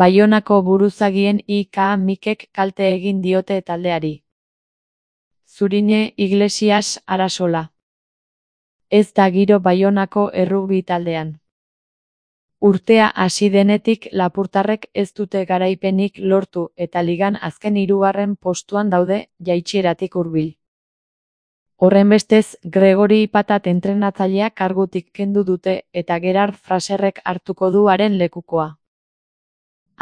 Baionako buruzagien IK Mikek kalte egin diote taldeari. Zurine Iglesias Arasola. Ez da giro Baionako errugbi taldean. Urtea hasi denetik lapurtarrek ez dute garaipenik lortu eta ligan azken 3. postuan daude, jaitsieratik hurbil. Horrenbestez, Gregori Patat entrenatzailea kargutik kendu dute eta Gerard Fraserrek hartuko du haren lekukoa.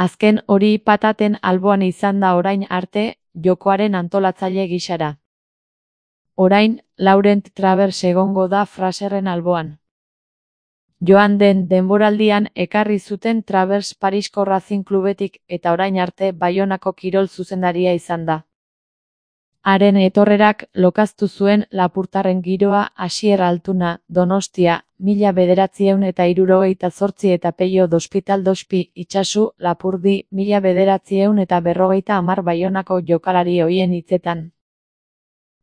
Azken hori Pataten alboan izan da orain arte, jokoaren antolatzaile gisara. Orain, Laurent Travers egongo da Fraserren alboan. Joan den denboraldian ekarri zuten Travers Parisko Racing Klubetik eta orain arte Baionako kirol zuzendaria izan da. Haren etorrerak lokaztu zuen lapurtarren giroa Asier Altuna, Donostia, 1978 eta Peio Dospital Dospi, Itsasu, Lapurdi, 1950 Baionako jokalari hoien hitzetan.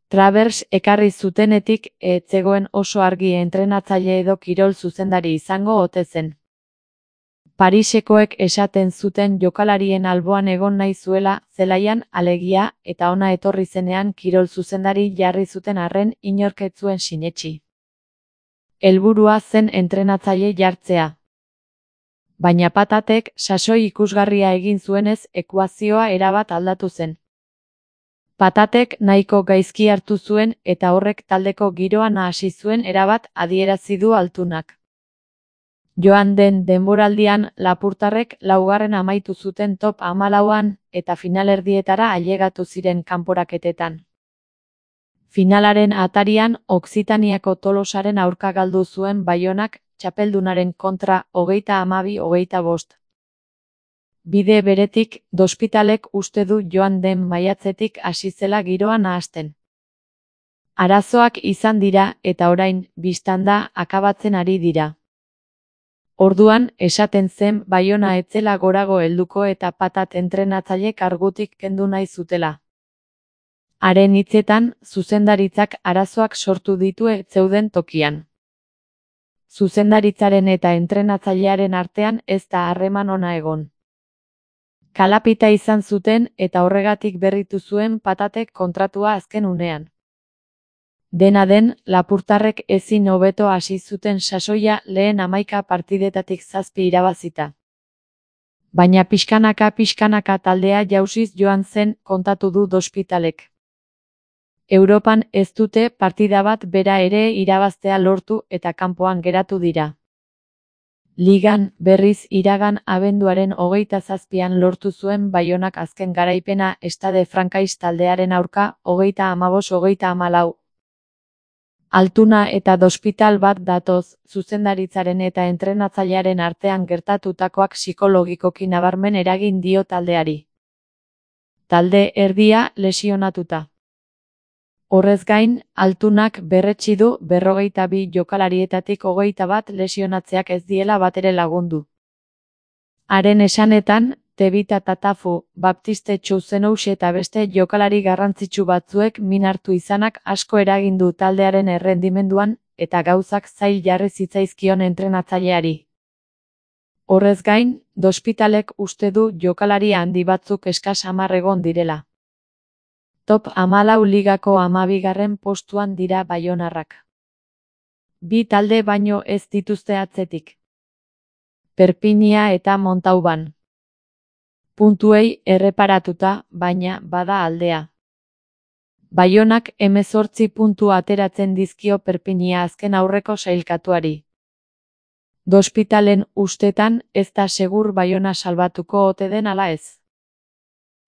Travers ekarri zutenetik ez zegoen oso argi entrenatzaile edo kirol zuzendari izango ote zen. Parisekoek esaten zuten jokalarien alboan egon nahi zuela, zelaian, alegia, eta ona etorri zenean kirol zuzendari jarri zuten arren inork ez zuen sinetsi. Helburua zen entrenatzaile jartzea. Baina Patatek sasoi ikusgarria egin zuenez ekuazioa erabat aldatu zen. Patatek nahiko gaizki hartu zuen eta horrek taldeko giroa nahasi zuen erabat adierazi du Altunak. Joan den denboraldian lapurtarrek 4. amaitu zuten top 14an eta finalerdietara ailegatu ziren kanporaketetan. Finalaren atarian Okzitaniako Tolosaren aurka galdu zuen Baionak txapeldunaren kontra 32-25. Bide beretik, Dospitalek uste du joan den maiatzetik hasi zela giroa nahasten. Arazoak izan dira eta orain, biztanda, akabatzen ari dira. Orduan, esaten zen Baiona ez zela gorago helduko eta Patat entrenatzaile kargutik kendu nahi zutela. Haren hitzetan, zuzendaritzak arazoak sortu ditu ez zeuden tokian. Zuzendaritzaren eta entrenatzailearen artean ez da harreman ona egon. Kalapita izan zuten eta horregatik berritu zuen Patatek kontratua azken unean. Dena den, lapurtarrek ezin hobeto hasi zuten sasoia lehen 11 partidetatik 7 irabazita. Baina pixkanaka taldea jausiz joan zen kontatu du Dospitalek. Europan ez dute partida bat bera ere irabaztea lortu eta kanpoan geratu dira. Ligan, berriz iragan abenduaren 27an lortu zuen Baionak azken garaipena Stade Francais taldearen aurka 35-34. Altuna eta Dospital bat datoz, zuzendaritzaren eta entrenatzailearen artean gertatutakoak psikologikoki nabarmen eragin dio taldeari. Talde erdia lesionatuta. Horrez gain, Altunak berretsi du 42 jokalarietatik 21 lesionatzeak ez diela batere lagundu. Haren esanetan, Tebita Tatafu, Baptiste Chouzenous eta beste jokalari garrantzitsu batzuek min hartu izanak asko eragin du taldearen errendimenduan eta gauzak zail jarri zitzaizkion entrenatzaileari. Horrez gain, Dospitalek uste du jokalari handi batzuk eskas 10 egon direla. Top 14 ligako 12. postuan dira baionarrak. 2 talde baino ez dituzte atzetik. Perpinia eta Montauban. Puntuei erreparatuta, baina bada aldea. Baionak 18 puntu ateratzen dizkio Perpinia azken aurreko sailkatuari. Dospitalen ustetan ez da segur Baiona salbatuko ote den ala ez.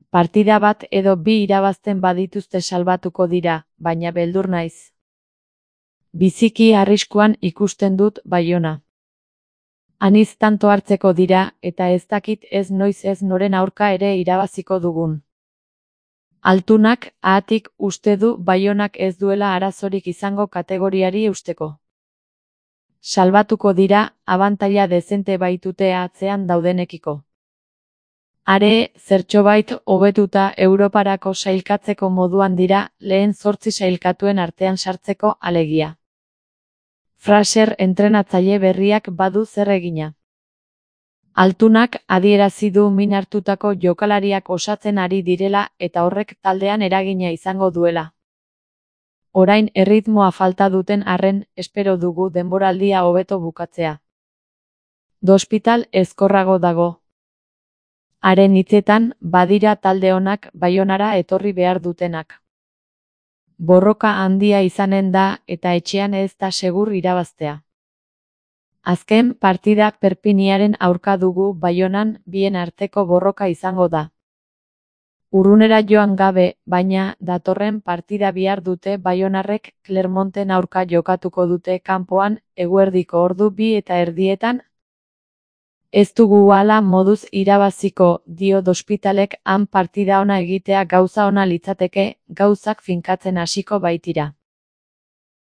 Partida bat edo 2 irabazten badituzte salbatuko dira, baina beldur naiz. Biziki arriskuan ikusten dut Baiona. Aniz tanto hartzeko dira eta ez dakit ez noiz ez noren aurka ere irabaziko dugun. Altunak ahatik uste du Baionak ez duela arazorik izango kategoriari eusteko. Salbatuko dira, abantaila dezente baitute atzean daudenekiko. Are, zertxobait hobetuta Europarako sailkatzeko moduan dira lehen 8 sailkatuen artean sartzeko alegia. Fraser entrenatzaile berriak badu zer egina. Altunak adierazi du min hartutako jokalariak osatzen ari direla eta horrek taldean eragina izango duela. Orain erritmoa falta duten arren, espero dugu denboraldia hobeto bukatzea. Dospital ezkorrago dago. Haren hitzetan, badira talde onak Baionara etorri behar dutenak. Borroka handia izanen da eta etxean ez da segur irabaztea. Azken partida Perpiniaren aurka dugu Baionan, bien arteko borroka izango da. Urrunera joan gabe, baina, datorren partida bihar dute Baionarrek Clermonten aurka jokatuko dute kanpoan, eguerdiko ordu 2:30. Ez dugu hala moduz irabaziko, dio Dospitalek, han partida ona egitea gauza ona litzateke, gauzak finkatzen hasiko baitira.